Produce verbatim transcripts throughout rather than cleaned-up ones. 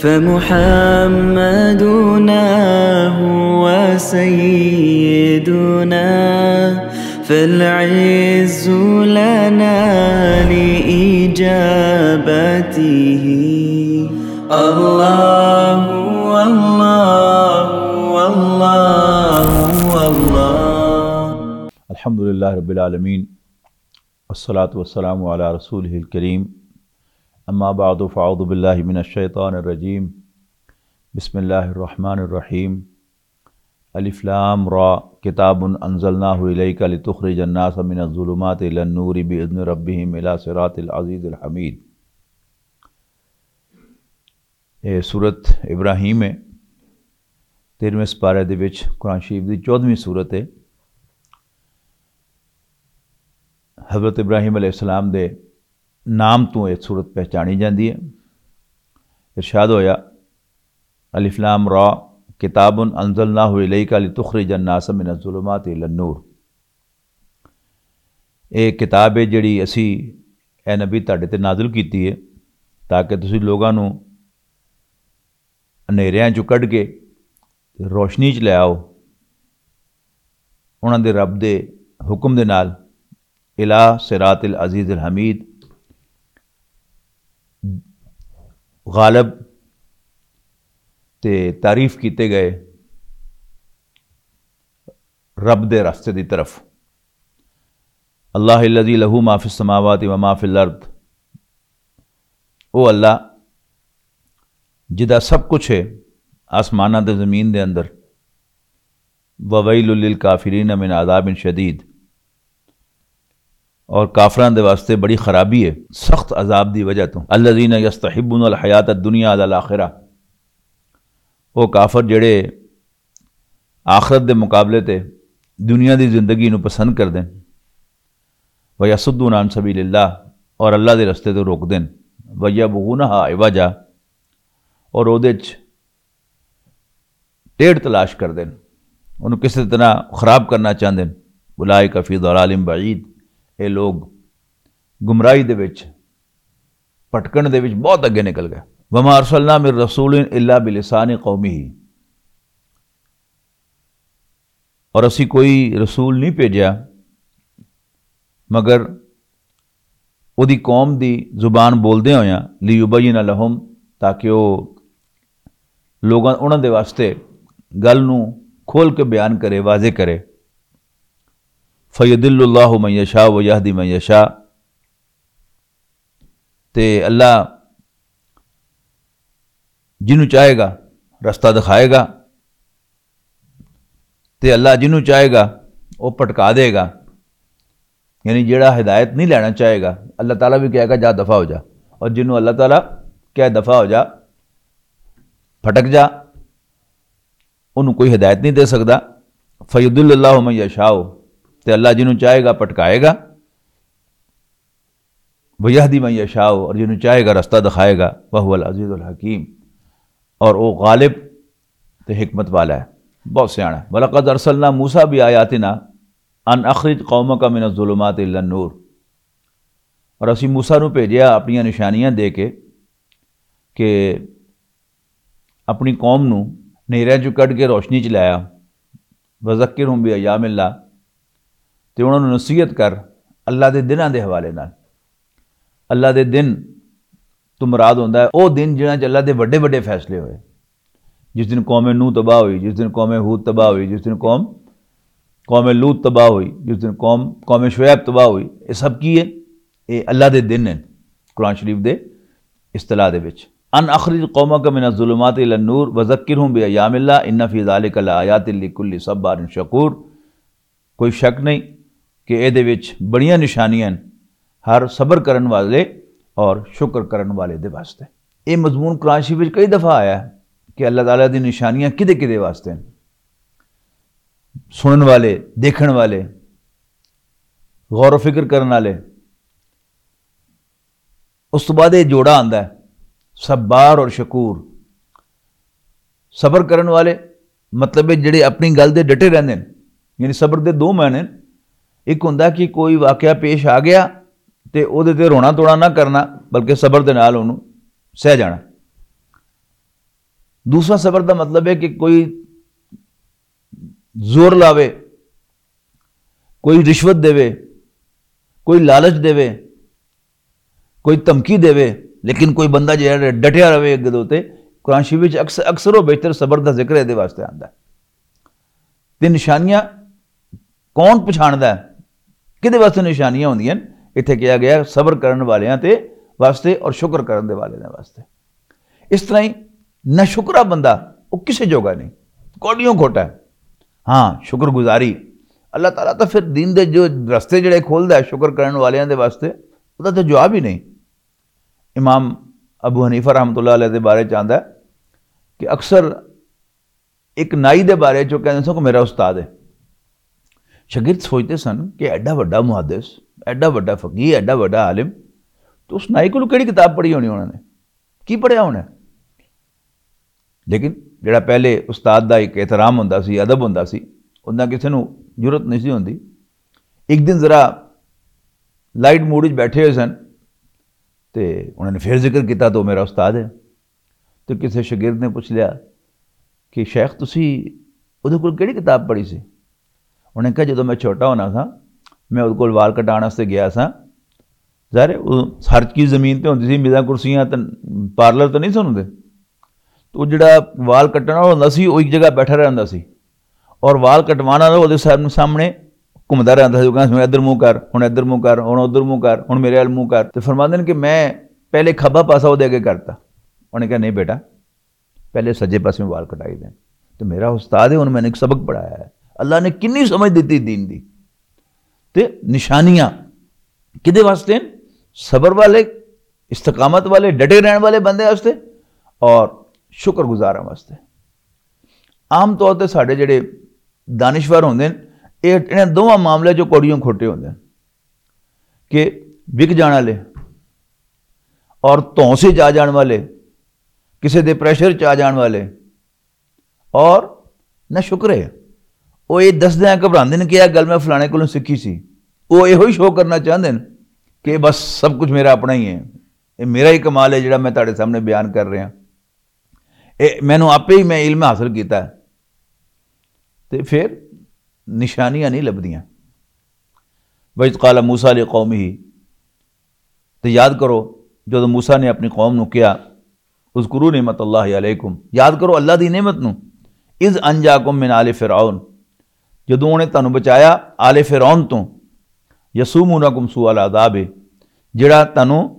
فمحمدنا هو سيدنا، فالعز لنا لإجابته. الله، الله، الله، الله. الحمد لله رب العالمين، والصلاة والسلام على رسوله الكريم. أما بعد، فأعوذ بالله من الشيطان الرجيم. بسم الله الرحمن الرحيم. الف لام را، كتاب أنزلناه إليك لتخرج الناس من الظلمات إلى النور بإذن ربهم إلى صراط العزيز الحميد. یہ سورت ابراہیم ہے، تیرہویں سپارے دے وچ قرآن شریف دی چودہویں سورت ہے۔ حضرت ابراہیم علیہ السلام دے نام تو یہ سورت پہچانی جاندی ہے۔ ارشاد ہویا، الف لام را، کتاب انزلناہ الیک لتخرج الناس من الظلمات الی النور۔ ایک کتاب ہے جڑی اسی، اے نبی، تہاڈے تے نازل کیتی ہے، تاکہ تسی لوگاں نوں ہنیریاں چوں کڈ کے روشنی چ لے آؤ، انہاں دے رب دے حکم دے نال، الی صراط العزیز الحمید، غالب تے تعریف کیتے گئے رب دے راستے دی طرف۔ اللہ الذی لہ ما فی السماوات و ما فی الارض، او اللہ جدا سب کچھ ہے آسماناں تے زمین دے اندر۔ وویل للکافرین من عذاب شدید، اور کافراں دے واسطے بڑی خرابی ہے سخت عذاب دی وجہ تو۔ الذین یستحبون الحیات الدنیا علی الاخرہ، وہ کافر جڑے آخرت دے مقابلے تے دنیا دی زندگی نو پسند کر دین۔ ویصدون عن سبیل اللہ، اور اللہ دے رستے تو روک دین۔ ویبغونہا عوجا، اور اودے چ ٹیڑھ تلاش کر دین، انہوں کسی طرح خراب کرنا چاہندے۔ اولئک فی ضلال بعید، اے لوگ گمراہی دے وچ، پٹکن دے وچ بہت اگے نکل گئے۔ وما ارسلنا من رسول الا بلسان قومہ، اور اسی کوئی رسول نہیں بھیجا مگر اودی قوم دی زبان بولدے ہویاں، لیبین لہم، تاکہ وہ لوگاں، انہاں دے واسطے گل نو کھول کے بیان کرے، واضح کرے۔ فیضل اللہ من یشاء و یہدی من یشاء، تے اللہ جنوں چاہے گا رستہ دکھائے گا، تے اللہ جنوں چاہے گا وہ پٹکا دے گا۔ یعنی جڑا ہدایت نہیں لینا چاہے گا، اللہ تعالیٰ بھی کہے گا، "جا دفع ہو جا۔" اور جنوں اللہ تعالیٰ کہے، "دفع ہو جا، پھٹک جا"، انہوں کوئی ہدایت نہیں دے سکدا۔ فیضل اللہ من یشاء، تے اللہ جنوں چاہے گا پٹکائے گا۔ وَيَهْدِي مَن يَشَاءُ، اور جنوں چاہے گا رستہ دکھائے گا، وَهُوَ الْعَزِيزُ الْحَكِيمُ، اور وہ غالب تے حکمت والا ہے، بہت سیاح ہے۔ وَلَقَدْ أَرْسَلْنَا مُوسَىٰ بِآيَاتِنَا أَنْ أَخْرِجْ قَوْمَكَ مِنَ الظُّلُمَاتِ إِلَى النُّورِ، اور اسی موسیٰ نوں بھیجیا اپنیاں نشانیاں دے کے کہ اپنی قوم نوں نیرے چوں کڈ کے روشنی چ لایا۔ وذکرہم بایام اللہ، تے انہاں نوں نصیحت کر اللہ دے دناں دے حوالے نال۔ اللہ دے دن تو مراد ہوندا ہے او دن جنہاں چ اللہ دے وڈے وڈے فیصلے ہوئے۔ جس دن قوم نوح تباہ ہوئی، جس دن قوم ہود تباہ ہوئی، جس دن قوم، قوم لوط تباہ ہوئی، جس دن قوم، قوم شعیب تباہ ہوئی، یہ سب کی ہے؟ یہ اللہ دے دن ہیں۔ قرآن شریف دے اصطلاح دے وچ، ان اخرج قومک من الظلمات الی النور وذکرہم بایام اللہ ان فی ذالک لآیات لکل صبار شکور۔ کوئی شک نہیں کہ اے دے وچ بڑیاں نشانیاں ہیں ہر صبر کرن والے اور شکر کرن والے دے واسطے۔ اے مضمون قرآن شریف وچ کئی دفعہ آیا ہے کہ اللہ تعالیٰ دی نشانیاں کدے کدے واسطے ہیں۔ سنن والے، دیکھن والے، غور و فکر کرن والے۔ اس تو بعد یہ جوڑا آندا ہے، صبار اور شکور۔ صبر کرن والے، مطلب ہے جڑے اپنی گل دے ڈٹے رہندے نے۔ یعنی صبر دے دو معنی نے۔ ایک ہوندا کہ کوئی واقعہ پیش آ گیا تے او دے تے رونا توڑا نہ کرنا، بلکہ صبر دے نال اونوں سہ جانا۔ دوسرا صبر دا مطلب ہے کہ کوئی زور لاوے، کوئی رشوت دے، کوئی لالچ دے، کوئی دھمکی دے، لیکن کوئی بندہ جو ہے ڈٹیا رہے اگے دے اُتے۔ قرآن شریف وچ اکثر، اکثر و بیشتر صبر دا ذکر ہے، دے واسطے آندا ہے۔ تے نشانیاں کون پچھاندا ہے؟ کدے واسطے نشانیاں ہوندیاں نے؟ اتھے کہا گیا صبر کرن والیاں تے واسطے اور شکر کرن دے والے دے واسطے۔ اس طرح ہی نہ شکرا بندہ، وہ کسے جوگا نہیں، کوڈیوں کھوٹا ہے۔ ہاں، شکر گزاری، اللہ تعالیٰ تو پھر دین دے جو رستے جڑے کھولدا ہے شکر کرن والیاں دے واسطے، وہ تو جواب ہی نہیں۔ امام ابو حنیفہ رحمۃ اللہ علیہ دے بارے چ آندا ہے کہ اکثر ایک نائی دے بارے چ کہندے سن کہ میرا استاد ہے۔ شاگرد سوچتے سن کہ ایڈا وڈا محدث، ایڈا وڈا فقیہ، ایڈا وڈا عالم، تو اس نائی کولوں کہڑی کتاب پڑھی ہونی انہوں نے؟ کی پڑھیا ہونا ہے؟ لیکن جڑا پہلے استاد دا ایک احترام ہوندا سی، ادب ہوندا سی، اُنہاں کسے نوں جرات نہیں سی ہوندی۔ ایک دن ذرا لائٹ موڈ وچ بیٹھے ہوئے سن، تے انہوں نے پھر ذکر کیتا تو میرا استاد ہے۔ تو کسی شاگرد نے پوچھ لیا کہ شیخ، تسی اودے کول کیڑی کتاب پڑھی سی؟ انہوں نے کہا، جدوں میں چھوٹا ہونا سا، میں اودے کول وال کٹان واسطے گیا سا۔ ظاہر ہے، وہ ہر چیز زمین تے ہوندی سی، میزاں کرسیاں تے پارلر تے نہیں سن ہوندے۔ تو وہ جڑا وال کٹن والا ہوندا سی، وہ ایک جگہ بیٹھا رہندا سی۔ اور وال کٹوانا تو وہ سامنے گھومدا رہندا سی، وہ کہندا سی، "ہن ادھر منہ کر، ہن ادھر منہ کر، ہن ادھر منہ کر، ہن میرے ول منہ کر۔" تے فرماندے نے کہ میں پہلے کھبا پاسا وہ دے کے کرتا۔ انہوں نے کہا، "نہیں بیٹا، پہلے سجے پاسے وال کٹائی دے۔" تو میرا استاد ہے، انہوں نے ایک سبق پڑھایا ہے۔ اللہ نے کنی سمجھ دتی دین دی۔ تے نشانیاں کدے واسطے ہیں؟ صبر والے، استقامت والے، ڈٹے رہن والے بندے واسطے اور شکر گزاراں واسطے۔ عام طور تے ساڈے جڑے دانشور ہوندے نے، اے انہاں دوواں معاملے چوں کوڑیوں کھوٹے ہوندے نے کہ وک جان والے اور دھونس وچ آ جان والے، کسے دے پریشر چ آ جان والے، اور نہ شکر ہے۔ وہ یہ دسدے ہیں، گھبراندے نے کہ یہ گل میں فلانے کولوں سیکھی سی۔ وہ یہو ہی شو کرنا چاہندے نے کہ بس سب کچھ میرا اپنا ہی ہے، یہ میرا ہی کمال ہے جڑا میں تہاڈے سامنے بیان کر رہا۔ اے مینوں آپے ہی، میں علم حاصل کیتا ہے۔ تے پھر نشانیاں نہیں لبھدیاں۔ وَإِذْ قَالَ مُوسَىٰ لِقَوْمِهِ، تے یاد کرو جدوں موسیٰ نے اپنی قوم نوں کہیا، "اذکروا نعمت اللہ علیکم"، یاد کرو اللہ دی نعمت نوں، "اذ انجاکم من آل فرعون"، جدوں انہیں تانوں بچایا آل فرعون توں، "یسومونکم سوء العذاب"، جڑا تانوں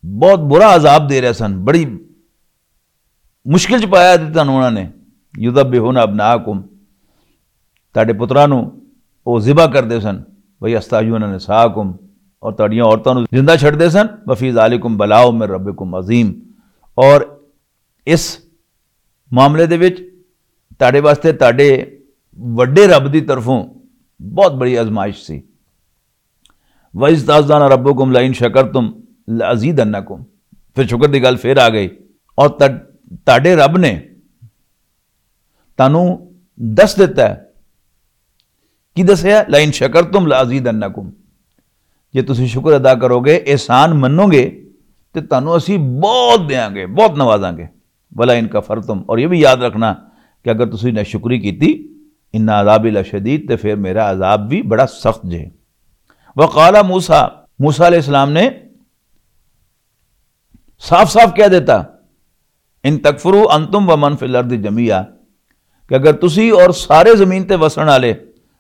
بہت برا عذاب دے رہے سن، بڑی مشکل چ پایا دتا انہوں نے۔ یذبحون ابناءکم، تہاڈے پتراں نوں او ذبح کردے سن۔ ویستحیون نساءکم، اور تہاڈیاں عورتاں نوں زندہ چھڈدے سن۔ وفی ذالکم بلاء من ربکم عظیم، اور اس معاملے دے وچ تہاڈے واسطے تہاڈے وڈے رب دی طرفوں بہت بڑی آزمائش سی۔ وَإِذْ تَأَذَّنَ رَبُّكُمْ لَئِن شَكَرْتُمْ لَأَزِيدَنَّكُمْ۔ پھر شکر دی گل پھر آ گئی۔ اور تڈ-، تہاڈے رب نے تانوں دس دتا ہے۔ کی دسیا؟ "لَئِن شَكَرْتُمْ لَأَزِيدَنَّكُمْ۔" جے تسی شکر ادا کرو گے، احسان منو گے، تے تانوں اسی بہت دیاں گے، بہت نوازاں گے۔ "وَلَئِن كَفَرْتُمْ"، اور یہ بھی یاد رکھنا کہ اگر تسی ناشکری کیتی، "إِنَّ عَذَابِي لَشَدِيدٌ"، تے پھر میرا عذاب بھی بڑا سخت جے۔ وقال موسیٰ، موسیٰ علیہ السلام نے صاف صاف کہہ دیتا، "ان تکفروا انتم ومن فی الارض جمیعا"، کہ اگر تسی اور سارے زمین تے وسن والے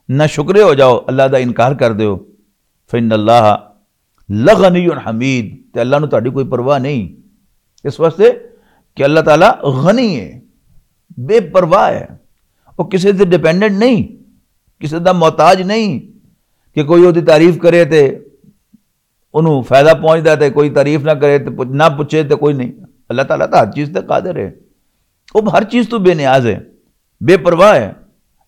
نہ شکرے ہو جاؤ، اللہ دا انکار کر دیو، "فإن اللہ لغنی حمید"، تے اللہ نو تہاڈی کوئی پرواہ نہیں، اس واسطے کہ اللہ تعالیٰ غنی ہے، بے پرواہ ہے، وہ کسی تے ڈیپینڈنٹ نہیں، کسی دا محتاج نہیں کہ کوئی وہ تعریف کرے تے انہوں فائدہ پہنچدا تے کوئی تعریف نہ کرے تے پچھ-، نہ پوچھے تے کوئی نہیں۔ اللہ تعالیٰ تو ہر چیز تے قادر ہے، وہ ہر چیز تو بے نیاز ہے، بے پرواہ ہے۔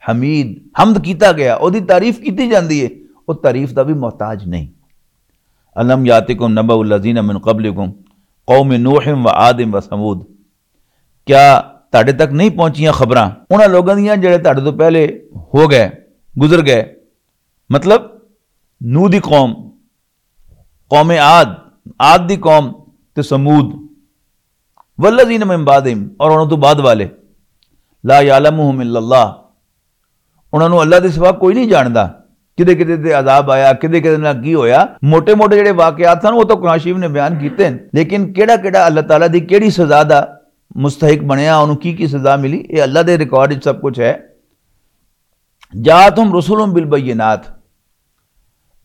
حمید، حمد کیتا گیا، او دی تعریف کیتی جاندی ہے، وہ تعریف دا بھی محتاج نہیں۔ الم یاتکم نبأ الذین من قبلکم قوم نوح و عاد و ثمود، کیا تہاڈے تک نہیں پہنچیاں خبراں انہاں لوگاں دیاں جڑے تہاڈے تو پہلے ہو گئے، گزر گئے؟ مطلب نوح دی قوم، قوم عاد، عاد دی قوم تے ثمود۔ والذین من بعدہم، اور انہاں تو بعد والے، لا یعلمہم الا اللہ، انہاں نوں اللہ دے سوا کوئی نہیں جاندا۔ کدے کدے تے عذاب آیا، کدے کدے نال کی ہویا، موٹے موٹے جڑے واقعات سن، وہ تو قرآن شریف نے بیان کیتے ہیں۔ لیکن کیڑا کیڑا اللہ تعالیٰ دی کیڑی سزا دا مستحق بنیا، انہوں کی کی سزا ملی، یہ اللہ دے ریکارڈ وچ سب کچھ ہے۔ جاءتہم رسلہم بالبینات،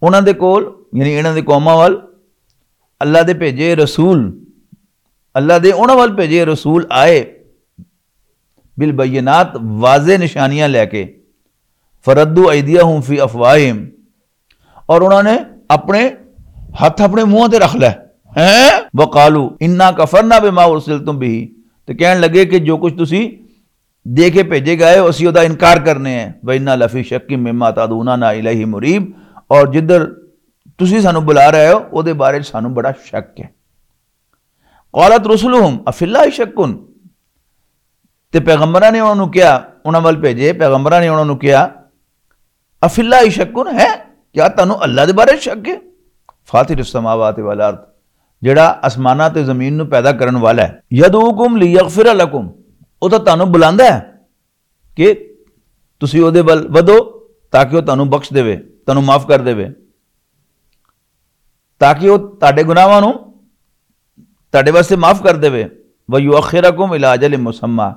انہاں دے کول، یعنی انہاں دے قوماں وال اللہ دے بھیجے رسول، اللہ دے انہاں وال بھیجے رسول آئے، بالبینات، واضح نشانیاں لے کے، فردوا ایدیہم فی افواہہم، اور انہاں نے اپنے ہتھ اپنے منہ تے رکھ لے، ہیں؟ وقالوا انا کفرنا بما ارسلتم بہ، تے کہن لگے کہ جو کچھ تسی دے کے بھیجے گئے ہو، اسی او دا انکار کرنے ہیں۔ وَإِنَّا لَفِي شَكٍّ مِّمَّا تَدْعُونَنَا إِلَيْهِ مُرِيبٍ، اور جدھر تسی سانو بلا رہے ہو، او دے بارے چ سانو بڑا شک ہے۔ قالت رسلهم أفي الله شك، تے پیغمبراں نے انہاں نوں کہیا، انہاں ول بھیجے پیغمبراں نے انہاں نوں کہیا، افی اللہ شکن ہے؟ کیا تانوں اللہ دے بارے شک ہے؟ فاطر السماوات والارض، جڑا آسماناں تے زمین نوں پیدا کرن والا ہے۔ یدعوکم لیغفر لکم، او تاں تانوں بلاندا ہے کہ تسی او دے ول ودو، تاکہ او تانوں بخش دے، تانوں معاف کر دے، تاکہ او تہاڈے گناہاں نوں تہاڈے واسطے معاف کر دے۔ ویؤخرکم الی اجل مسمی،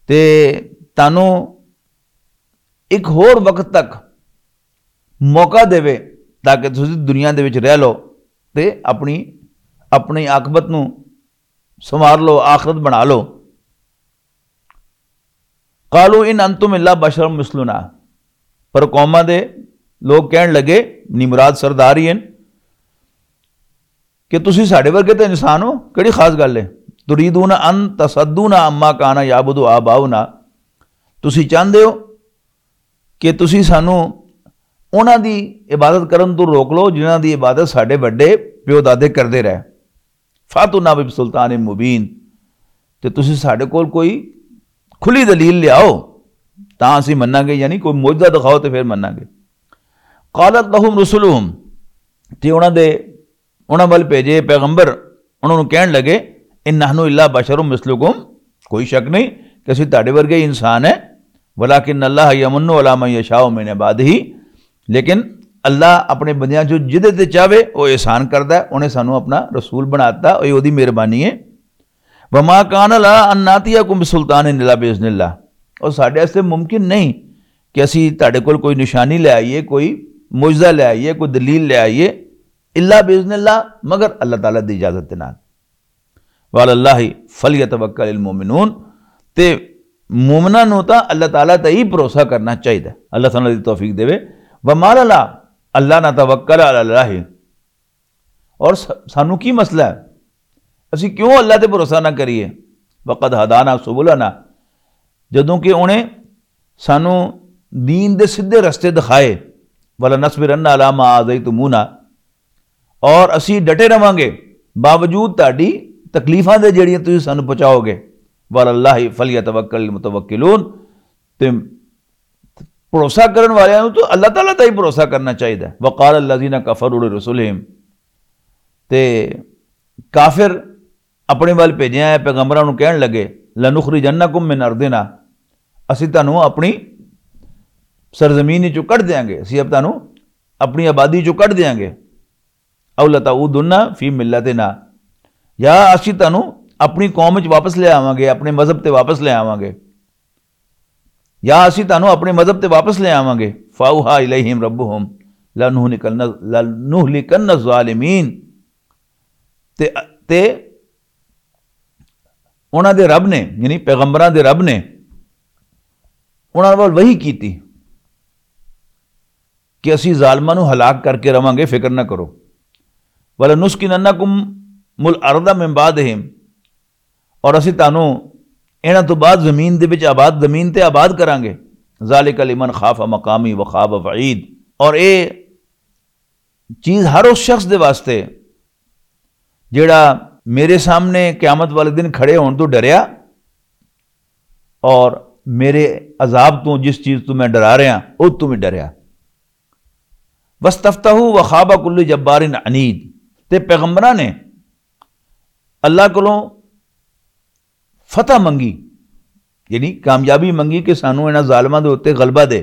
تے تانوں ایک ہور وقت تک موقع دے، تاکہ تسی دنیا دے وچ رہ لو تے اپنی اپنی عاقبت نوں سنوار لو، آخرت بنا لو۔ قالوا ان انتم الا بشر مثلنا، پر قوماں دے لوگ کہن لگے، نی مراد سردار ہی ہیں، کہ تسی ساڈے ورگے تے انسان ہو، کیڑی خاص گل ہے؟ تریدون ان تصدونا عما کان یعبد آباؤنا، تسی چاہندے ہو کہ تسی سانو انہاں دی عبادت کرن تو روک لو جنہاں دی عبادت ساڈے وڈے پیو دادے کردے رہے۔ فاتونا بسلطان مبین، تے تسی ساڈے کول کوئی کھلی دلیل لیاؤ، تاں اسی مناں گے، یعنی کوئی معجزہ دکھاؤ تے پھر مناں گے۔ قالت لهم رسلهم، تے انہاں دے، انہاں ول بھیجے پیغمبر انہاں نوں کہن لگے، ان نحن الا بشر مثلکم، کوئی شک نہیں کہ اسی تہاڈے ورگے ہی انسان ہیں، ولکن اللہ یمن علی من یشاء من عبادہ، لیکن اللہ اپنے بندیاں چوں جدے تے چاہے او احسان کردا ہے، انہیں سانوں اپنا رسول بناتا، اے اودی مہربانی ہے۔ وما کان لنا ان ناتیکم بسلطان الا باذن اللہ، اور ساڈے واسطے ممکن نہیں کہ اسی تہاڈے کول کوئی نشانی لے آئیے، کوئی معجزہ لے آئیے، کوئی دلیل لے آئیے، الا باذن اللہ، مگر اللہ تعالیٰ دی اجازت دے نال۔ وعلی اللہ فلیتوکل المؤمنون، تے مومناں نوں تاں اللہ تعالیٰ تے ہی بھروسہ کرنا چاہیدا ہے۔ اللہ تعالیٰ دی توفیق دے۔ وما لنا الا نتوکل علی اللہ، اور س-، سانوں کی مسئلہ ہے؟ اسی کیوں اللہ تے بھروسہ نہ کریے؟ وقد ہدانا سبلنا، جدوں کہ انہیں سانوں دین دے سیدھے رستے دکھائے۔ ولنصبرن علی ما آذیتمونا، اور اسی ڈٹے رہواں گے باوجود تہاڈی تکلیفاں دے جڑیاں تسی سانوں پہنچاؤ گے۔ وعلی اللہ فلیتوکل المتوکلون، تے بھروسہ کرن والیاں نوں تو اللہ تعالیٰ تے ہی بھروسہ کرنا چاہیدا ہے۔ وقال الذین کفروا لرسلہم، تے کافر اپنے ول بھیجے آئے پیغمبراں نوں کہن لگے، لنخرجنکم من ارضنا، اسی تانوں اپنی سرزمین چوں کڈ دیاں گے، اسی اب تانوں اپنی آبادی چوں کڈ دیاں گے۔ او لتعودن فی ملتنا، یا اسی تانوں اپنی قوم وچ واپس لے آواں گے، اپنے مذہب تے واپس لے آواں گے، یا اسی تانوں اپنے مذہب تے واپس لے آواں گے۔ فاوحا الیہم ربہم لنہلکن، لنہلکن الظالمین، تے تے انہاں دے رب نے، یعنی پیغمبراں دے رب نے انہاں ول وحی کیتی کہ اسی ظالماں نوں ہلاک کر کے رواں گے، فکر نہ کرو۔ ولنسکننکم الارض من بعدہم، اور اسی تانوں انہاں تو بعد زمین دے وچ آباد، زمین تے آباد کراں گے۔ ذالک لمن خاف مقامی وخاف وعید، اور اے چیز ہر اس شخص دے واسطے جڑا میرے سامنے قیامت والے دن کھڑے ہون تو ڈریا اور میرے عذاب تو، جس چیز تو میں ڈرا رہا، او تو بھی ڈریا۔ واستفتحوا وخاب کل جبار عنید، تے پیغمبراں نے اللہ کولوں فتح منگی، یعنی کامیابی منگی کہ سانو انہاں ظالماں دے اوتے غلبہ دے۔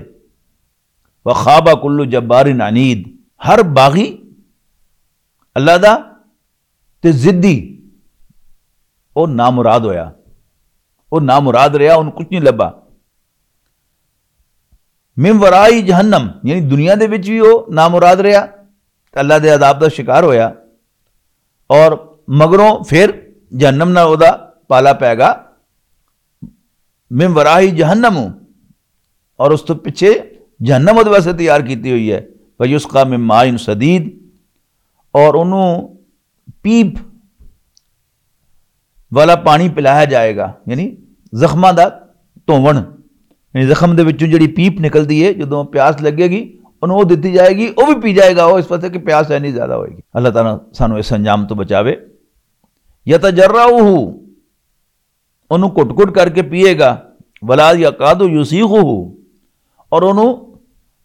وخاب کل جبار عنید، ہر باغی اللہ دا تے ضدی، او نامراد ہویا، او نامراد رہیا، اونوں کچھ نہیں لبھا۔ من ورائی جہنم، یعنی دنیا دے وچ بھی او نامراد رہیا تے اللہ دے عذاب دا شکار ہویا، اور مگروں پھر جہنم نال او دا پالا پے گا۔ من ورائی جہنم، اور اس تو پیچھے جہنم او دے واسطے تیار کیتی ہوئی ہے۔ فیسقا من ماء سدید، اور انہوں پیپ والا پانی پلایا جائے گا، یعنی زخماں دا دھوون، یعنی زخم دے وچوں جڑی پیپ نکلدی ہے، جدوں پیاس لگے گی، انہوں وہ دتی جائے گی، وہ بھی پی جائے گا، وہ اس واسطے کہ پیاس اینی زیادہ ہوئے گی۔ اللہ تعالیٰ سانو اس انجام تو بچاوے۔ یتجرعہ، انہوں گھٹ گھٹ کر کے پیے گا۔ ولا یکاد یسیغہ، اور انہوں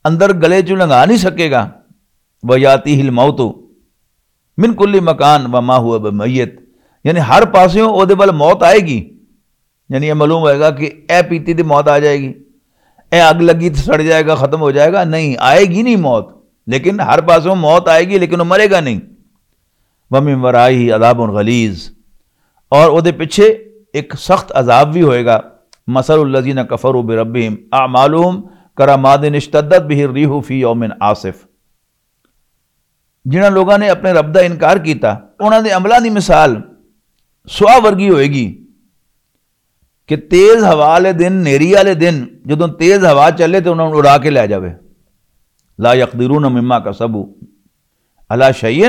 اندر گلے چوں لنگا نہیں سکے گا۔ ویاتیہ الموت من کل مکان وما هو بمیت، یعنی ہر پاسوں او دے ول موت آئے گی۔ یعنی یہ معلوم ہوئے گا کہ اے پیتی تے موت آ جائے گی، اے اگ لگی تے سڑ جائے گا، ختم ہو جائے گا، نہیں، آئے گی نہیں موت، لیکن ہر پاسوں موت آئے گی، لیکن وہ مرے گا نہیں۔ ومن ورائہ عذاب غلیظ، اور او دے پیچھے ایک سخت عذاب بھی ہوئے گا۔ مثل الذین کفروا بربہم اعمالہم کرماد اشتدت بہ الریح فی یوم عاصف، جنہاں لوگاں نے اپنے رب دا انکار کیتا، انہاں دے عملاں دی مثال سوا ورگی ہوئے گی کہ تیز ہوا والے دن، نیری والے دن، جدوں تیز ہوا چلے تے انہاں نوں اڑا کے لے جاوے۔ لا یقدرون مما کسبوا علی شیء،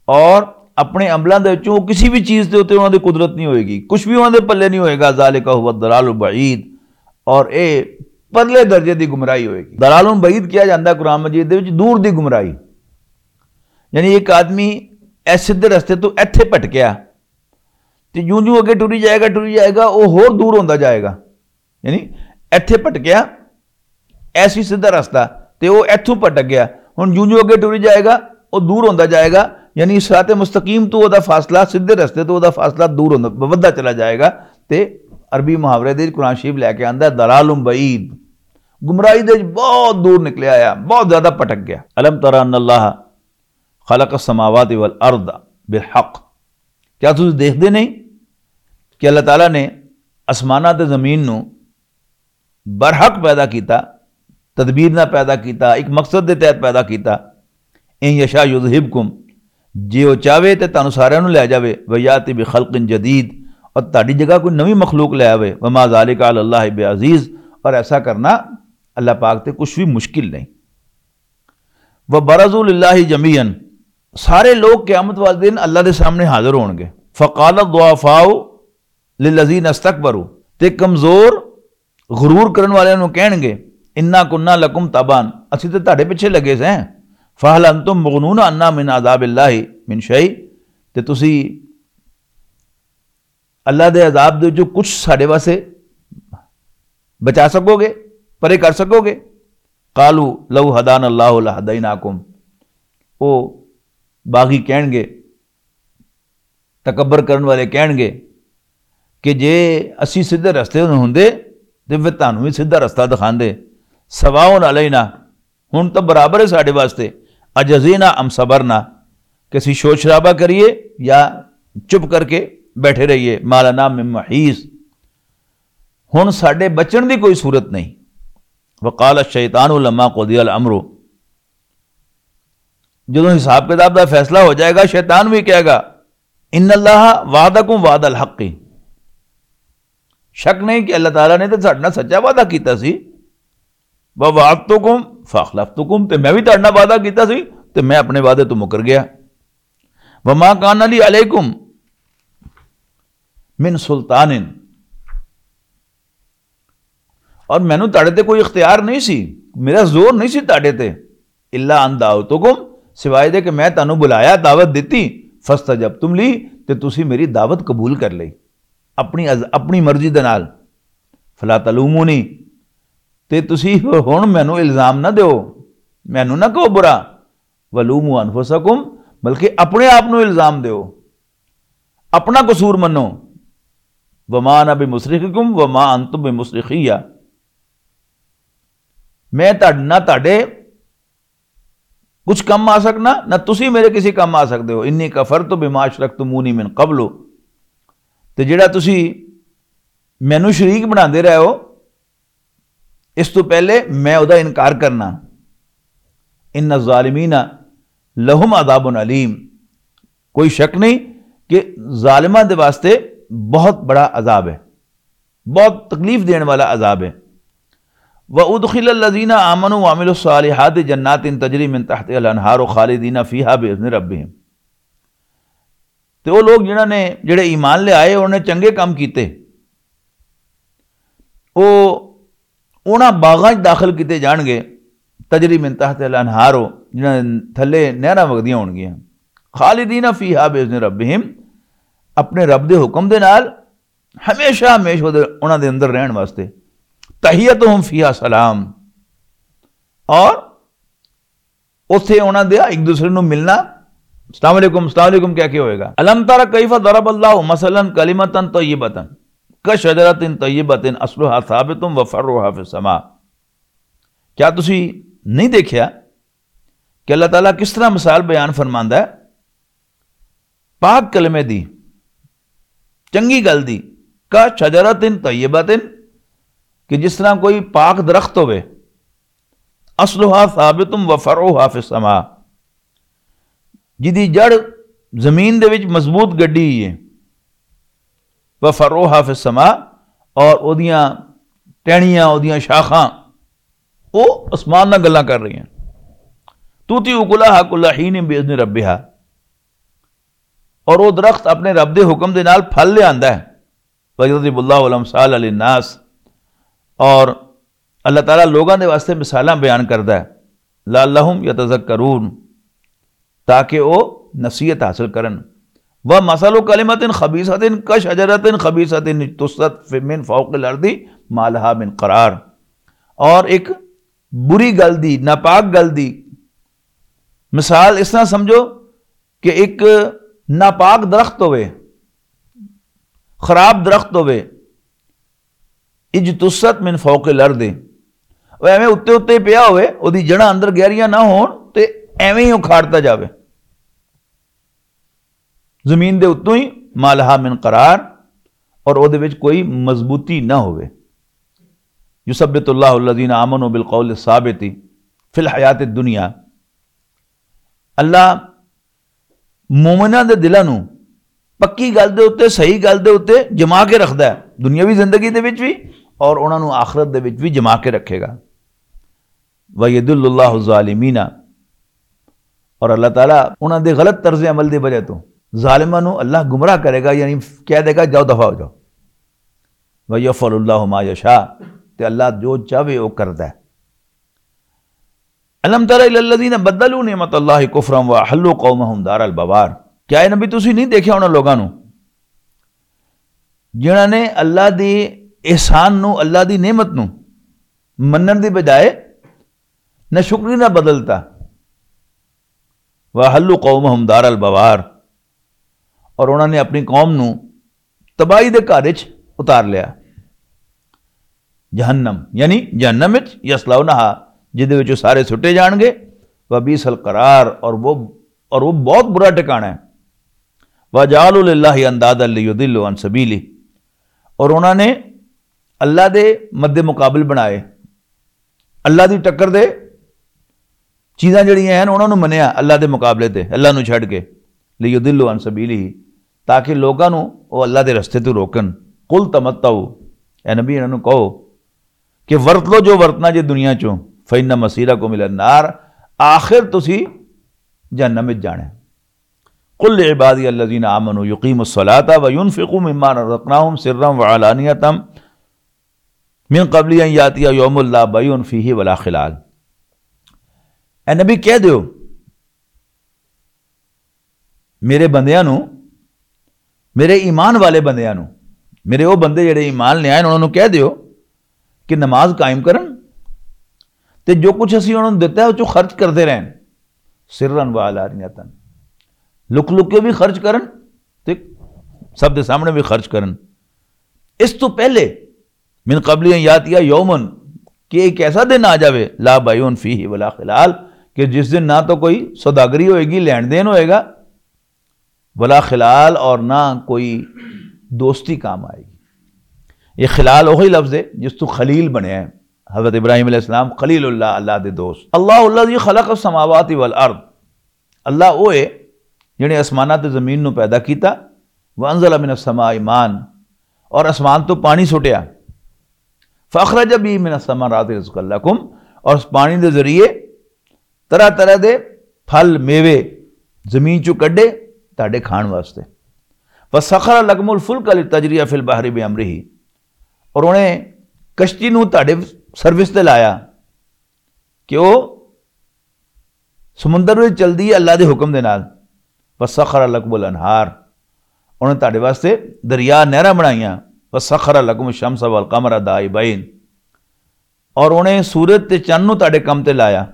اور اپنے عملاں دے وچوں کسی بھی چیز دے اوتے انہاں دی قدرت نہیں ہوئے گی، کچھ بھی انہاں دے پلے نہیں ہوئے گا۔ ذالک هو الضلال البعید، اور اے پرلے درجے دی گمراہی ہوئے گی۔ ضلال بعید کیا جاندا ہے قرآن مجید دے وچ دور دی گمراہی، یعنی ایک آدمی ایس سیدھے رستے تو ایتھے پھٹکیا تے جوں جوں اگے ٹری جائے گا، ٹری جائے گا، وہ ہور دور ہوندا جائے گا۔ یعنی ایتھے پھٹکیا، ایسی سیدھا رستہ، تے وہ ایتھوں پھٹک گیا۔ ہن جوں جوں اگے ٹری جائے گا، وہ دور ہوندا جائے گا۔ یعنی صراط مستقیم تو وہ دا فاصلہ، سیدھے رستے تو وہ دا فاصلہ دور ہوندا، ودھدا چلا جائے گا۔ تے عربی محاورے دے وچ قرآن شریف لے کے آندا ہے، ضلال بعید، گمراہی دے وچ بہت دور نکلیا آیا، بہت زیادہ پھٹک گیا۔ الم تر ان اللہ خلق السماوات والارض بالحق، کیا تسی دیکھدے نہیں کہ اللہ تعالیٰ نے آسماناں تے زمین نو برحق پیدا کیتا، تدبیر نہ پیدا کیتا، ایک مقصد دے تحت پیدا کیتا۔ ان یشاء یذہبکم، جے او چاہے تے تانوں ساریاں نوں لے جاوے، ویاتی بخلق جدید، اور تہاڈی جگہ کوئی نویں مخلوق لے آوے۔ وما ذالک علی اللہ بعزیز، اور ایسا کرنا اللہ پاک تے کچھ بھی مشکل نہیں۔ وبرزوا للہ جمیعا، سارے لوگ قیامت والے دن اللہ دے سامنے حاضر ہون گے۔ فقال الضعفاء للذین استکبروا، تے کمزور غرور کرن والے نوں کہن گے، انا کنا لکم تبعا، اسی تے تہاڈے پیچھے لگے سیں، فہل انتم مغنون عنا من عذاب اللہ من شیء، تے تسی اللہ دے عذاب دے وچوں کچھ ساڈے واسطے بچا سکو گے، پرے کر سکو گے؟ قالوا لو ہدانا اللہ لہدیناکم، او باغی کہن گے، تکبر کرن والے کہن گے کہ جے اسی سیدھے رستے تے ہوندے تے پھر تانوں وی سیدھا رستہ دکھاندے۔ سواء علینا، ہن تاں برابر ہے ساڈے واسطے، اجزینا ام صبرنا، کہ اسی شور شرابہ کریے یا چپ کر کے بیٹھے رہیے۔ ما لنا من محیص، ہن ساڈے بچن دی کوئی صورت نہیں۔ وقال الشیطان لما قضی الامر، جدوں حساب کتاب دا فیصلہ ہو جائے گا، شیطان بھی کہے گا، ان اللہ وعدکم وعد الحق، شک نہیں کہ اللہ تعالیٰ نے تے ساڈے نال سچا وعدہ کیتا سی۔ ووعدتکم فاخلفتکم، تے میں بھی تہاڈے نال وعدہ کیتا سی تے میں اپنے وعدے تو مکر گیا۔ وما کان لی علیکم من سلطان، اور مینوں تہاڈے تے کوئی اختیار نہیں سی، میرا زور نہیں سی تہاڈے تے۔ الا ان دعوتکم، سوائے دے کہ میں تانوں بلایا، دعوت دتی، فاستجبتم لی، تے تسی میری دعوت قبول کر لئی اپنی از-، اپنی مرضی دے نال۔ فلا تلومونی، تے تسی ہن مینوں الزام نہ دیو، مینوں نہ کہو برا۔ ولوموا انفسکم، بلکہ اپنے آپ نوں الزام دیو، اپنا قصور منو۔ وما انا بمصرخکم وما انتم بمصرخیہ۔ میں تہاڈ-، نہ تہاڈے کچھ کم آ سکنا، نہ تسی میرے کسی کم آ سکدے ہو۔ انی کفرت بما اشرکتمونی من قبل، تے جڑا تسی مینوں شریک بناندے رہے ہو، اس تو پہلے میں ادا انکار کرنا۔ ان الظالمین لہم عذاب علیم، کوئی شک نہیں کہ ظالماں دے واسطے بہت بڑا عذاب ہے، بہت تکلیف دین والا عذاب ہے۔ وَأُدْخِلَ الَّذِينَ آمَنُوا وَعَمِلُوا الصَّالِحَاتِ جَنَّاتٍ تَجْرِي مِنْ تَحْتِهَا الْأَنْهَارُ خَالِدِينَ فِيهَا بِإِذْنِ رَبِّهِمْ۔ تے او لوگ جنہاں نے، جڑے ایمان لے آئے، انہاں نے چنگے کام کیتے، او انہاں باغاں 'چ داخل کیتے جان گے، تجری من تحت الانہار، جنہاں دے تھلے نہراں وگدیاں ہون گیاں، خالدین فیہا باذن ربہم، اپنے رب دے حکم دے نال ہمیشہ ہمیشہ انہاں دے اندر رہن واسطے۔ تحیتہم فیہا سلام، اور اوتھے انہاں دے ایک دوسرے نوں ملنا، السلام علیکم، السلام علیکم کہہ کے ہوئے گا۔ الم تر کیف ضرب اللہ مثلا کلمۃ طیبۃ کشجرۃ طیبۃ اصلها ثابت وفرعها فی السماء۔ کیا تسی نہیں دیکھیا کہ اللہ تعالیٰ کس طرح مثال بیان فرماندا ہے پاک کلمے دی، چنگی گل دی، کا شجرۃ طیبۃ، کہ جس طرح کوئی پاک درخت ہوئے، اصلها ثابت و فرعها فی السماء، جدی جڑ زمین دے وچ مضبوط گڈی ہوئی ہے، و فرعها فی السماء، اور اودیاں ٹہنیاں، اودیاں شاخاں، او اسمان نال گلاں کر رہی ہیں۔ تؤتی اکلها کل حین باذن ربها، اور وہ درخت اپنے رب دے حکم دے نال پھل لے آندا ہے۔ وَيَضْرِبُ اللَّهُ الْأَمْثَالَ لِلنَّاسِ، اور اللہ تعالیٰ لوگاں دے واسطے مثالاں بیان کردا ہے، لَعَلَّهُمْ يَتَذَكَّرُونَ، تاکہ وہ نصیحت حاصل کرن۔ وَمَثَلُ كَلِمَةٍ خَبِيثَةٍ كَشَجَرَةٍ خَبِيثَةٍ اجْتُثَّتْ مِنْ فَوْقِ الْأَرْضِ مَا لَهَا مِنْ قَرَارٍ، اور ایک بری گل دی، ناپاک گل دی مثال اس طرح سمجھو کہ ایک ناپاک درخت ہوئے، خراب درخت ہوئے، اجتثت من فوق الارض، وہ ایویں اُتے اُتے پیا ہوئے، اودی جڑاں اندر گہریاں نہ ہون تے ایویں ہی اکھاڑتا جاوے۔ زمین دے اتوں ہی، ما لہا من قرار، اور اودے وچ کوئی مضبوطی نہ ہوئے۔ یثبت اللہ الذین آمنوا بالقول الثابت فی الحیات الدنیا۔ اللہ مومناں دے دلاں نوں پکی گل دے اُتے، صحیح گل دے اُتے جما کے رکھدا ہے، دنیاوی زندگی دے وچ بھی اور انہاں نوں آخرت دے وچ بھی جما کے رکھے گا۔ وَيُضِلُّ اللَّهُ الظَّالِمِينَ، اور اللہ تعالیٰ انہاں دے غلط طرز عمل دی وجہ تو ظالماں نوں اللہ گمراہ کرے گا، یعنی کہہ دے گا، "جاؤ، دفع ہو جاؤ۔" وَيَفْعَلُ اللَّهُ مَا يَشَاءُ، تے اللہ جو چاہے وہ کردا ہے۔ الم تر الی الذین بدلوا نعمت اللہ کفرا واحلوا قومہم دار البوار۔ کیا اے نبی تسی نہیں دیکھیا انہاں لوگاں نوں جنہاں نے اللہ دی احسان نوں، اللہ دی نعمت نوں منن دی بجائے نہ شکری نہ بدلتا؟ واحلوا قومہم دار البوار، اور انہاں نے اپنی قوم نوں تباہی دے گھر وچ اتار لیا۔ جہنم، یعنی جہنم وچ، یصلونہا، جدے وچ وہ سارے سٹے جان گے۔ وبئس القرار، اور وہ، اور وہ بہت برا ٹھکانہ ہے۔ وجعلوا للہ اندادا لیضلوا عن سبیلہ، اور انہاں نے اللہ دے مد مقابل بنائے، اللہ دی ٹکر دے چیزاں جڑیاں ہیں انہاں نوں منیا اللہ دے مقابلے تے، اللہ نوں چھڈ کے، لیضلوا عن سبیلہ، تاکہ لوکاں نوں او اللہ دے رستے تو روکن۔ قل تمتعوا، اے نبی انہاں نوں کہو کہ ورت لو جو ورتنا جے دنیا چوں، فإن مصیرکم الی النار، آخر تسی جہنم وچ جانا ہے۔ قل لعبادی الذین آمنوا یقیموا الصلاۃ وینفقوا مما رزقناہم سرا وعلانیۃ من قبل ان یاتی یوم لا بیع فیہ ولا خلال۔ اے نبی کہہ دیو، میرے بندیاں نوں، میرے ایمان والے بندیاں نوں، میرے او بندے جڑے ایمان لے آئے انہاں نوں کہہ دیو کہ نماز قائم کرن تے جو کچھ اسی انہاں نوں دتا ہے او چوں خرچ کردے رہن، سرا و علانیۃ، لک لک کے بھی خرچ کرن تے سب دے سامنے بھی خرچ کرن۔ اس تو پہلے، من قبل ان یاتیا یومن، کہ ایک ایسا دن آ جاوے، لا بیعون فیہ ولا خلال، کہ جس دن نہ تو کوئی سوداگری ہوئے گی، لین دین ہوئے گا، ولا خلال، اور نہ کوئی دوستی کام آئے گی۔ یہ خلال وہی لفظ ہے جس تو خلیل بنیا ہے۔ حضرت ابراہیم علیہ السلام خلیل اللہ، اللہ دے دوست۔ اللہ الذی خلق السماوات والارض، اللہ وہ ہے جنہیں آسمانات تے زمین نو پیدا کیتا، وانزل من السماء ماء، اور آسمان تو پانی سٹیا، فاخرج بی من الثمرات رزقا لکم، اور اس پانی دے ذریعے طرح طرح دے پھل میوے زمین چوں کڈے تہاڈے کھان واسطے۔ وسخر لکم الفلک لتجری فی البحر بامرہ، اور انہیں کشتی نو تہاڈے سروس تے لایا کہ وہ سمندر وچ چلدی ہے اللہ دے حکم دے نال۔ وسخر لکم الانہار، انہیں تہاڈے واسطے دریا نہراں بنائیاں۔ وسخر لکم الشمس والقمر دائبین، اور انہیں سورج تے چند نو تہاڈے کم تے لایا۔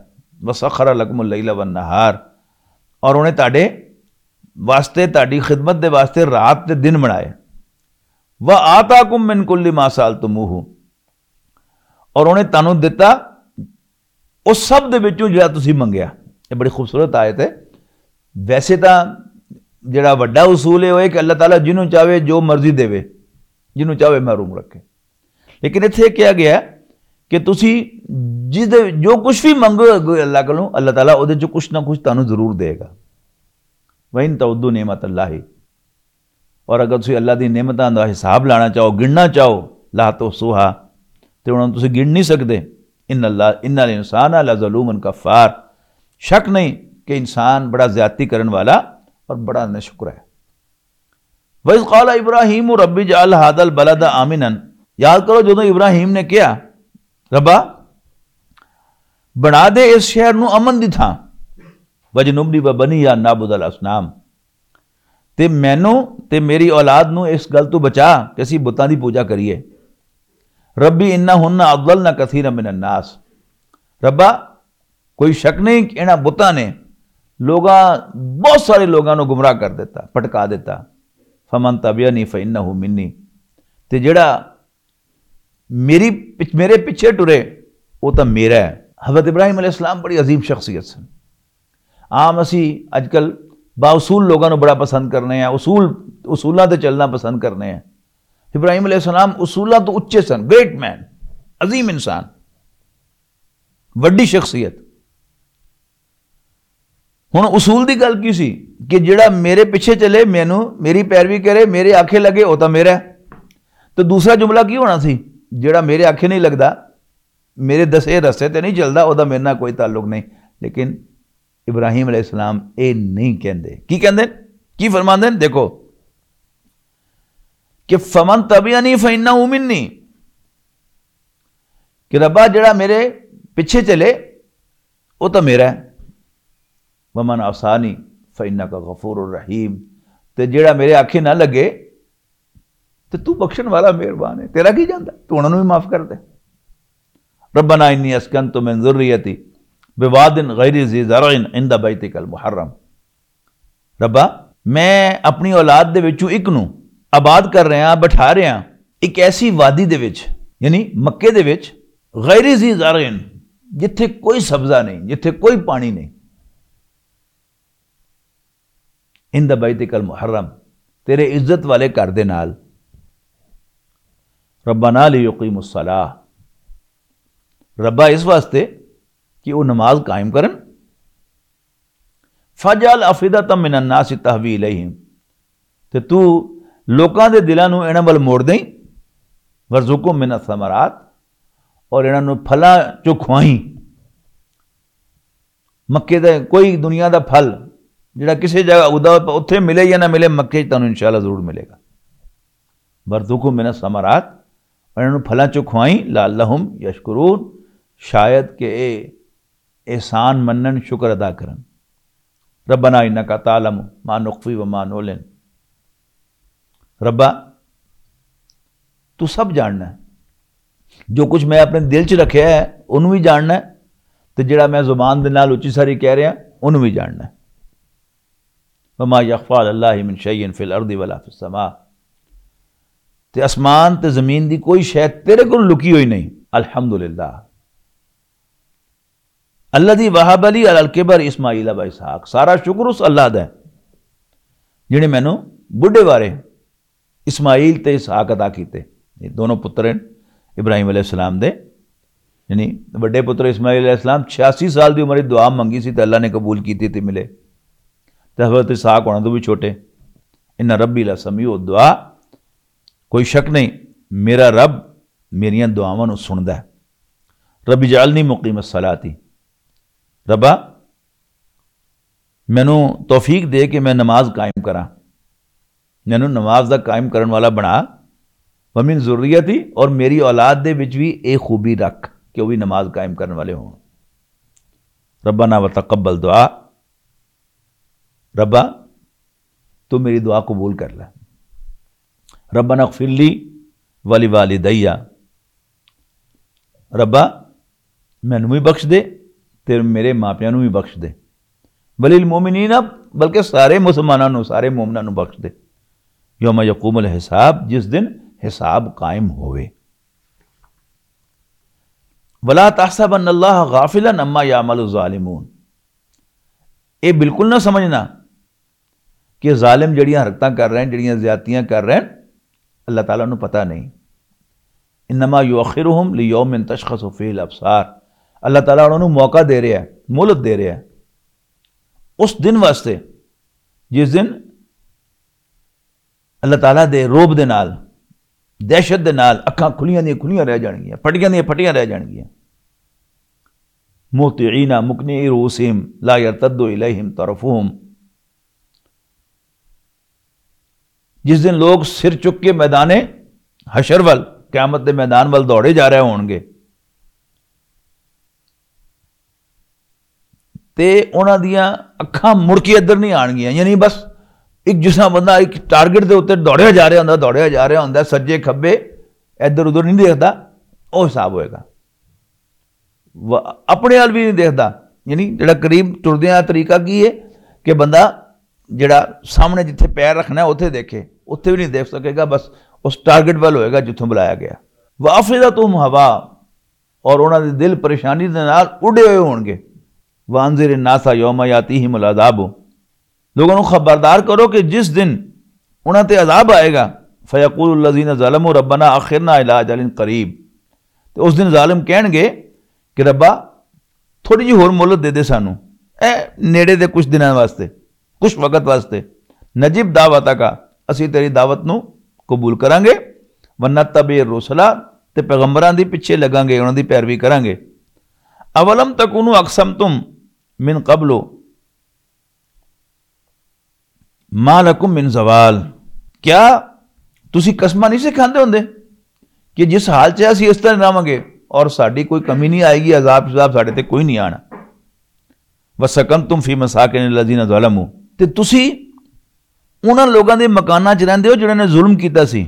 وسخر لکم اللیل والنہار، اور انہیں تہاڈے واسطے، تہاڈی خدمت دے واسطے رات تے دن بنائے۔ وآتاکم من کل ما سألتموہ، اور انہیں تانوں دتا اس سب دے وچوں جڑا تسی منگیا۔ یہ بڑی خوبصورت آیت ہے۔ ویسے تاں جڑا وڈا اصول ہے وہ ہے کہ اللہ تعالیٰ جنوں چاہے جو مرضی دے، جنوں چاہے محروم رکھے، لیکن اتھے کہا گیا ہے کہ تسی جس دے جو کچھ بھی منگو گے اللہ کولوں، اللہ تعالیٰ اودے چوں کچھ نہ کچھ تانوں ضرور دے گا۔ وَإِن تَعُدُّوا نِعْمَتَ اللَّهِ، اور اگر تسی اللہ دی نعمتاں دا حساب لانا چاہو، گننا چاہو، لا تحصوها، تے انہاں نوں تسی گن نہیں سکدے۔ ان اللہ، ان الانسان لظلوم کفار، شک نہیں کہ انسان بڑا زیادتی کرن والا اور بڑا ناشکر ہے۔ وَإِذْ قَالَ إِبْرَاهِيمُ رَبِّ اجْعَلْ هَذَا الْبَلَدَ آمِنًا، یاد کرو جدوں ابراہیم نے کہا، ربا، بنا دے اس شہر نو امن دی تھاں، وَاجْنُبْنِي وَبَنِيَّ أَن نَعْبُدَ الْأَصْنَامَ، تے مینوں تے میری اولاد نوں اس گل تو بچا کہ اسی بتاں دی پوجا کریے۔ ربی انہن اضللن کثیرا من الناس، ربا، کوئی شک نہیں کہ انہاں بتاں نے لوگاں، بہت سارے لوگاں نوں گمراہ کر دیتا، پٹکا دیتا۔ فمن تبعنی فانہ منی، تے جڑا میری پچ-، میرے پیچھے ٹرے، وہ تاں میرا ہے۔ حضرت ابراہیم علیہ السلام بڑی عظیم شخصیت سن۔ عام اسی اج کل بااصول لوگاں نوں بڑا پسند کرنے ہیں، اصول، اصولاں تے چلنا پسند کرنے ہیں۔ ابراہیم علیہ السلام اصولاں تو اچے سن، گریٹ مین، عظیم انسان، وڈی شخصیت۔ ہن اصول دی گل کی سی کہ جڑا میرے پیچھے چلے، مینوں، میری پیروی کرے، میرے آکھے لگے، او تاں میرا ہے۔ تو دوسرا جملہ کی ہونا سی؟ جڑا میرے آکھے نہیں لگدا، میرے دسے رستے تے نہیں چلدا، او دا میرے نال کوئی تعلق نہیں۔ لیکن ابراہیم علیہ السلام اے نہیں کہندے۔ کی کہندے؟ کی فرماندے نے؟ دیکھو کہ فمن تبعنی فانہ منی، کہ ربا، جڑا میرے پیچھے چلے، وہ تو میرا ہے۔ ومن عصانی فانک غفور رحیم، تے جڑا میرے آکھے نہ لگے، تے تو بخشن والا مہربان ہے، تیرا کی جاندا، تو انہاں نوں بھی معاف کر دے۔ ربنا انی اسکنت من ذریتی بواد غیر ذی زرع عند بیتک المحرم، ربا، میں اپنی اولاد دے وچوں ایک نوں آباد کر رہا، بٹھا رہا ایک ایسی وادی دے وچ، یعنی مکے دے وچ، غیر ذی زرع، جتھے کوئی سبزہ نہیں، جتھے کوئی پانی نہیں، عند بیتک المحرم، تیرے عزت والے گھر دے نال۔ ربنا لیقیموا الصلاۃ، ربا، اس واسطے کہ وہ نماز قائم کرن۔ فاجعل افئدۃ من الناس تہوی الیہم، تے تو لوکاں دے دلاں نوں انہاں ول موڑ دیں۔ وارزقہم من الثمرات، اور انہاں نوں پھلاں چوں کھوائیں۔ مکے دا کوئی دنیا دا پھل جڑا کسے جگہ اگدا ہوئے، اتھے ملے یا نہ ملے، مکے چ تانوں انشاءاللہ ضرور ملے گا۔ وارزقہم من الثمرات، اور انہاں نوں پھلاں چوں کھوائیں، لعلہم یشکرون، شاید کہ اے احسان منن، شکر ادا کرن۔ ربنا انک تعلم ما نخفی وما نعلن، ربا، تو سب جاننا ہے۔ جو کچھ میں اپنے دل چ رکھیا ہے، انہوں بھی جاننا ہے، تے جڑا میں زبان دے نال اچی ساری کہہ رہا، انہوں بھی جاننا ہے۔ وما یخفی علی اللہ من شیء فی الارض ولا فی السماء، تے آسمان تے زمین دی کوئی شے تیرے کول لکی ہوئی نہیں۔ الحمدللہ الذی وہب لی علی الکبر اسماعیل و اسحاق، سارا شکر اس اللہ دا ہے جنہیں مینوں بڈھے بارے اسماعیل تے اسحاق عطا کیتے۔ یہ دونوں پتر ہیں ابراہیم علیہ السلام دے۔ یعنی وڈے پتر اسماعیل علیہ السلام چھیاسی سال دی عمر وچ دعا منگی سی تے اللہ نے قبول کیتی تے ملے۔ تے حضرت اسحاق ہونا تو بھی چھوٹے۔ ان ربی لسمیع الدعا، کوئی شک نہیں، میرا رب میریاں دعاواں نوں سندا ہے۔ رب اجعلنی مقیم الصلاۃ، ربا مینوں توفیق دے کہ میں نماز قائم کراں، مینوں نماز دا قائم کرن والا بنا، ومن ذریتی، اور میری اولاد دے وچ بھی اے خوبی رکھ کہ وہ بھی نماز قائم کرن والے ہون۔ ربنا وتقبل دعا، ربا تو میری دعا قبول کر لے۔ ربنا اغفر لی ولوالدی، ربا مینوں بھی بخش دے تے میرے ماپیاں نوں بھی بخش دے۔ وللمؤمنین، بلکہ سارے مسلماناں نوں، سارے مومناں نوں بخش دے۔ یوم یقوم الحساب، جس دن حساب قائم ہوئے۔ ولا تحسبن اللہ غافلا عما یعمل الظالمون، اے بالکل نہ سمجھنا کہ ظالم جڑیاں حرکتاں کر رہے ہیں، جڑیاں زیادتیاں کر رہے ہیں، اللہ تعالیٰ نوں پتہ نہیں۔ انما یؤخرہم لیوم تشخص فیہ الابصار، اللہ تعالیٰ انہاں نوں موقع دے رہا ہے، مہلت دے رہا ہے اس دن واسطے جس دن اللہ تعالیٰ دے روب دے نال، دہشت دے نال اکھاں کھلیاں دیاں کھلیاں رہ جانگیاں، پھٹیاں دیاں پھٹیاں رہ جانگیاں۔ مہطعین مقنعی رؤوسہم لا یرتد الیہم طرفہم، جس دن لوگ سر چک کے میدان حشر ول، قیامت دے میدان ول دوڑے جا رہے ہون گے، تے انہاں دیاں اکھاں مڑ کے ادھر نہیں آن گیاں۔ یعنی بس ایک، جس طرح بندہ ایک ٹارگٹ دے اوتے دوڑیا جا رہا ہوندا، دوڑیا جا رہا ہوندا، سجے کھبے ادھر ادھر نہیں دیکھدا، او حساب ہوئے گا۔ وہ اپنے حال بھی نہیں دیکھدا۔ یعنی جڑا قریب ٹردیاں طریقہ کی ہے کہ بندہ جڑا سامنے جتھے پیر رکھنا ہے، اوتھے دیکھے، اوتھے بھی نہیں دیکھ سکے گا، بس اس ٹارگٹ ول ہوئے گا جتھوں بلایا گیا۔ وافدتہم ہوا، اور انہاں دے دل پریشانی دے نال اڈے ہوئے ہون گے۔ وانذر الناس یوم یاتیہم العذاب، لوگوں نوں خبردار کرو کہ جس دن انہاں تے عذاب آئے گا، فیقول الذین ظلموا ربنا اخرنا الی اجل قریب، تے اس دن ظالم کہن گے کہ ربا، تھوڑی جی ہور مہلت دے دے سانوں، اے نیڑے دے کچھ دناں واسطے، کچھ وقت واسطے، نجب دعوتک، اسی تیری دعوت نو قبول کراں گے، ونتبع الرسل، تے پیغمبراں دی پیچھے لگاں گے، انہاں دی پیروی کراں گے۔ اولم تکونوا اقسمتم من قبل ما لکم من زوال، کیا تسی قسمہ نہیں سے کھاندے ہوندے کہ جس حال چ اسی اس طرح رہواں گے اور ساڈی کوئی کمی نہیں آئے گی، عذاب شذاب ساڈے تے کوئی نہیں آنا۔ وسکنتم فی مساکن الذین ظلموا، تے تسی انہاں لوگاں دے مکاناں چ رہندے ہو جنہاں نے ظلم کیتا سی،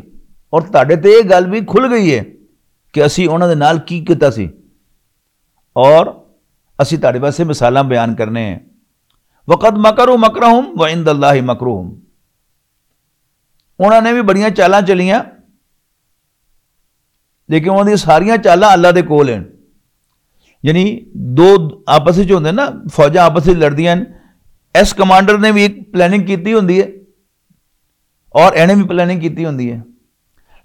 اور تہاڈے تے یہ گل بھی کھل گئی ہے کہ اسی انہاں دے نال کی کیتا سی، اور اسی تہاڈے واسطے مثالاں بیان کرنے ہیں۔ وقد مکروا مکرہم وعند اللہ مکرہم، انہاں نے بھی بڑیاں چالاں چلیاں، لیکن انہاں دی ساریاں چالاں اللہ دے کول ہیں۔ یعنی دو آپس وچ ہوندے نا، فوجاں آپس وچ لڑدیاں ہیں، اس کمانڈر نے بھی ایک پلاننگ کیتی ہوندی ہے اور اینے بھی پلاننگ کیتی ہوندی ہے۔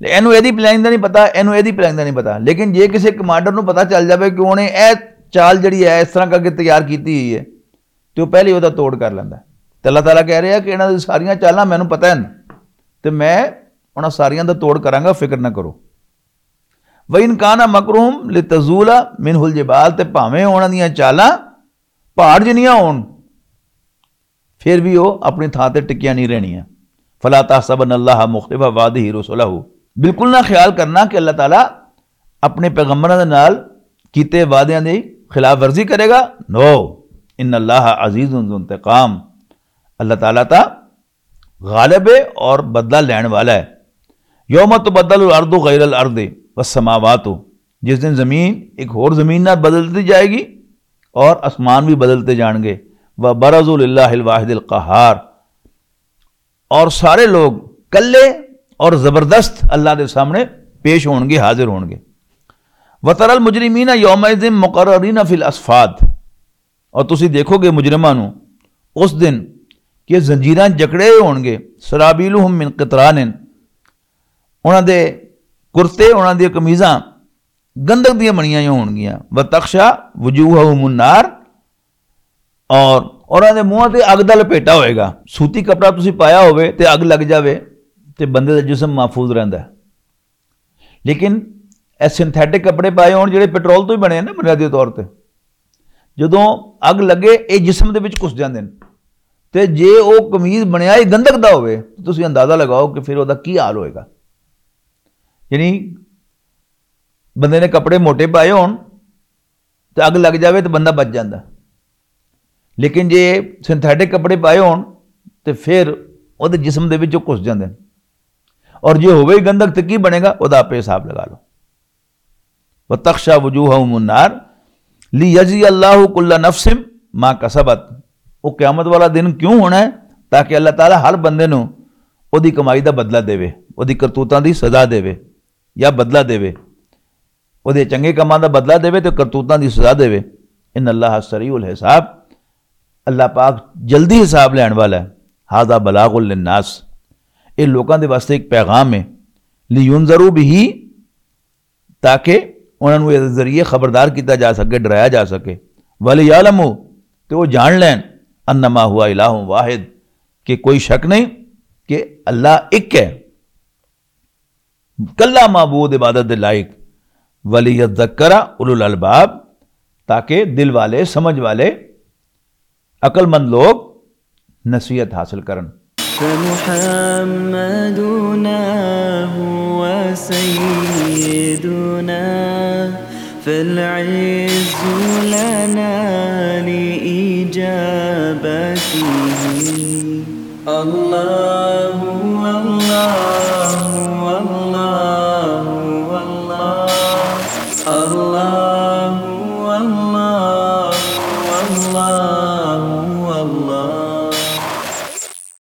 لے اینو ایدی پلاننگ دا نہیں پتا، اینو ایدی پلاننگ دا نہیں پتا، لیکن جے کسے کمانڈر نوں پتا چل جاوے کہ انہیں اے چال جڑی ہے اس طرح کر کے تیار کیتی ہوئی ہے، تے وہ پہلے وہ توڑ کر لیندا ہے۔ تے اللہ تعالیٰ کہہ رہا کہ انہاں دی ساریاں چالاں مینوں پتہ ہیں، تے میں انہاں ساریاں دا توڑ کراں گا، فکر نہ کرو۔ وَإِنْ كَانَ مَكْرُهُمْ لِتَزُولَ مِنْهُ الْجِبَالُ، تے بھاویں انہاں دیاں چالاں پہاڑ جنیاں ہون، پھر بھی وہ اپنی تھاں تے ٹکیاں نہیں رہنیاں۔ فَلَا تَحْسَبَنَّ اللَّهَ مُخْلِفَ وَعْدِهِ رُسُلَهُ، بالکل نہ خیال کرنا کہ اللہ تعالیٰ اپنے پیغمبراں دے نال کیتے وعدیاں دی خلاف ورزی کرے گا۔ نو، ان اللہ عزیز ذو انتقام، اللہ تعالیٰ تا غالب ہے اور بدلہ لین والا ہے۔ یوم تبدل الارض غیر الارض والسماوات، جس دن زمین ایک ہور زمین نال بدل دی جائے گی اور آسمان بھی بدلتے جان گے۔ وبرزوا للہ الواحد القہار، اور سارے لوگ کلے اور زبردست اللہ دے سامنے پیش ہون گے، حاضر ہون گے۔ وَتَرَى الْمُجْرِمِينَ يَوْمَئِذٍ مُقَرَّنِينَ فِي الْأَصْفَادِ۔ اور تسی دیکھو گے مجرماں نو اس دن کہ زنجیراں جکڑے ہوئے ہون گے۔ سرابیلہم من قطران، انہاں دے کرتے، انہاں دی قمیضاں گندک دیاں بنیاں ہوئیاں ہون گیاں۔ وَتَغْشَى وُجُوهَهُمُ النَّارُ، اور انہاں دے منہ تے اگ دا لپیٹا ہوئے گا۔ سوتی کپڑا تسی پایا ہوئے تے اگ لگ جاوے تے بندے دا جسم محفوظ رہندا ہے۔ لیکن اے سنتھیٹک کپڑے پائے ہون جڑے پیٹرول تو ہی بنے ہیں نا بنیادی طور تے، جدوں اگ لگے اے جسم دے وچ گھس جاندے نے۔ تے جے او قمیض بنیا ہی گندک دا ہوئے تے تسی اندازہ لگاؤ کہ پھر او دا کی حال ہوئے گا۔ یعنی بندے نے کپڑے موٹے پائے ہون تے اگ لگ جاوے تے بندہ بچ جاندا، لیکن جے سنتھیٹک کپڑے پائے ہون تے پھر او دے جسم دے وچ گھس جاندے نے۔ اور جے ہوئے ہی گندک تے کی بنے گا، او دا آپے حساب لگا لو۔ وَتَغْشَى وُجُوهَهُمُ النَّارُ لِيَجْزِيَ اللَّهُ كُلَّ نَفْسٍ مَا كَسَبَتْ۔ وہ قیامت والا دن کیوں ہونا ہے؟ تاکہ اللہ تعالیٰ ہر بندے نو او دی کمائی دا بدلہ دے، او دی کرتوتاں دی سزا دے یا بدلہ دے، او دے چنگے کماں دا بدلہ دے تے کرتوتاں دی سزا دے۔ ان اللہ سریع الحساب، اللہ پاک جلدی حساب لین والا ہے۔ هَذَا بَلَاغٌ لِلنَّاسِ، اے لوکاں دے واسطے ایک پیغام ہے۔ لِيُنذَرُوا بِهِ، تاکہ انہاں نوں اس ذریعے خبردار کیتا جا سکے، ڈرایا جا سکے۔ وَلِيَعْلَمُوا، تے وہ جان لین، اَنَّمَا هُوَ إِلَٰهٌ وَاحِدٌ، کہ کوئی شک نہیں کہ اللہ ایک ہے، کلا معبود عبادت دے لائق۔ وَلِيَذَّكَّرَ أُولُو الْأَلْبَابِ، تاکہ دل والے، سمجھ والے، عقل مند لوگ نصیحت حاصل کرن۔ فمحمدنا هو سيدنا، فالعز لنا لإجابته۔ اللہ